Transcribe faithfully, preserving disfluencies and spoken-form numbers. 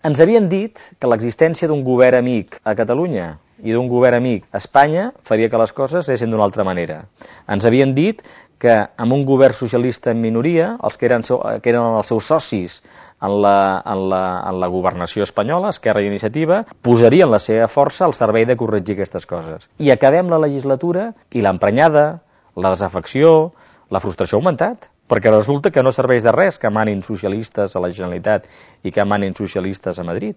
Ens havien dit que l'existència d'un govern amic a Catalunya i d'un govern amic a Espanya faria que les coses anessin d'una altra manera. Ens havien dit que amb un govern socialista en minoria, els que eren, que eren els seus socis en la, en la, en la governació espanyola, Esquerra i Iniciativa, posarien la seva força al servei de corregir aquestes coses. I acabem la legislatura i l'emprenyada, la desafecció, la frustració ha augmentat, perquè resulta que no serveix de res que manin socialistes a la Generalitat i que manin socialistes a Madrid.